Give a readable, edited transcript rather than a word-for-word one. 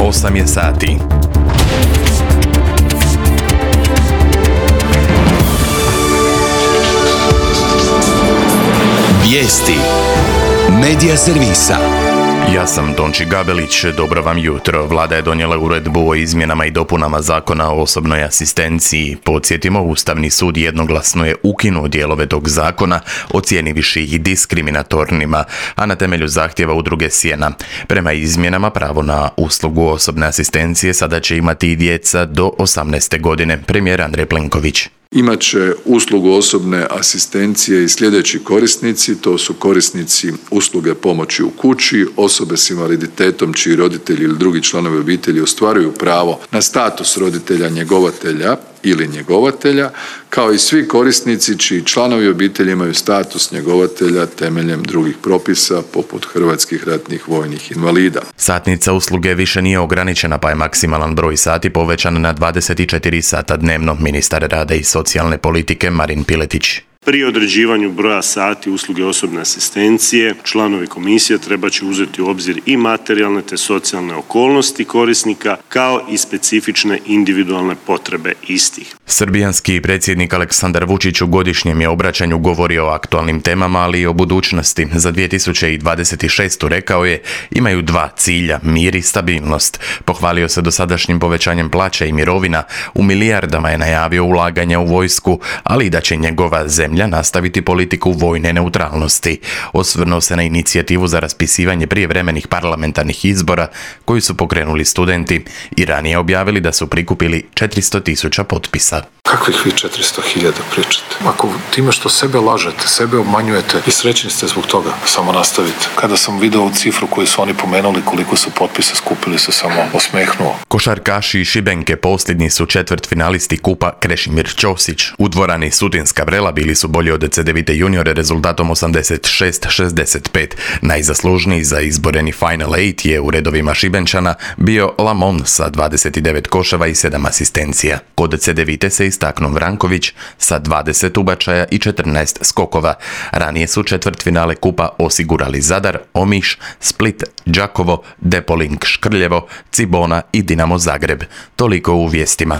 8 je sati. Vijesti Medija servisa. Ja sam Tonči Gabelić, dobro vam jutro. Vlada je donijela uredbu o izmjenama i dopunama Zakona o osobnoj asistenciji. Podsjetimo, Ustavni sud jednoglasno je ukinuo dijelove tog zakona, ocijenivši ih diskriminatornima, a na temelju zahtjeva udruge Sjena. Prema izmjenama, pravo na uslugu osobne asistencije sada će imati i djeca do 18. godine, premijer Andrej Plenković. Imat će uslugu osobne asistencije i sljedeći korisnici, to su korisnici usluge pomoći u kući, osobe s invaliditetom čiji roditelji ili drugi članovi obitelji ostvaruju pravo na status roditelja njegovatelja ili njegovatelja, kao i svi korisnici čiji članovi obitelji imaju status njegovatelja temeljem drugih propisa poput hrvatskih ratnih vojnih invalida. Satnica usluge više nije ograničena, pa je maksimalan broj sati povećan na 24 sata dnevno, ministar rada i socijalne politike Marin Piletić. Pri određivanju broja sati usluge osobne asistencije, članovi komisije treba će uzeti u obzir i materijalne te socijalne okolnosti korisnika, kao i specifične individualne potrebe istih. Srbijanski predsjednik Aleksandar Vučić u godišnjem je obraćanju govorio o aktualnim temama, ali i o budućnosti. Za 2026. rekao je, imaju dva cilja, mir i stabilnost. Pohvalio se dosadašnjim povećanjem plaća i mirovina, u milijardama je najavio ulaganja u vojsku, ali i da će njegova zemlja nastaviti politiku vojne neutralnosti. Osvrnuo se na inicijativu za raspisivanje prijevremenih parlamentarnih izbora koji su pokrenuli studenti i ranije objavili da su prikupili 400.000 potpisa. Kakvih vi 400.000 pričate? Ako time što sebe lažete, sebe obmanjujete i srećni ste zbog toga, samo nastavite. Kada sam video ovu cifru koju su oni pomenuli koliko su potpisa skupili, se samo osmehnuo. Košarkaši Šibenke posljednji su četvrtfinalisti kupa Krešimir Ćosić. U dvorani Sutinska Vrela bili su bolji od C9 juniore rezultatom 86-65. Najzaslužniji za izboreni Final 8 je u redovima Šibenčana bio Lamon sa 29 koševa i 7 asistencija. Kod C9 se istaknuo Vranković sa 20 ubačaja i 14 skokova. Ranije su četvrtfinale kupa osigurali Zadar, Omiš, Split, Đakovo, Depoling Škrljevo, Cibona i Dinamo Zagreb. Toliko u vijestima.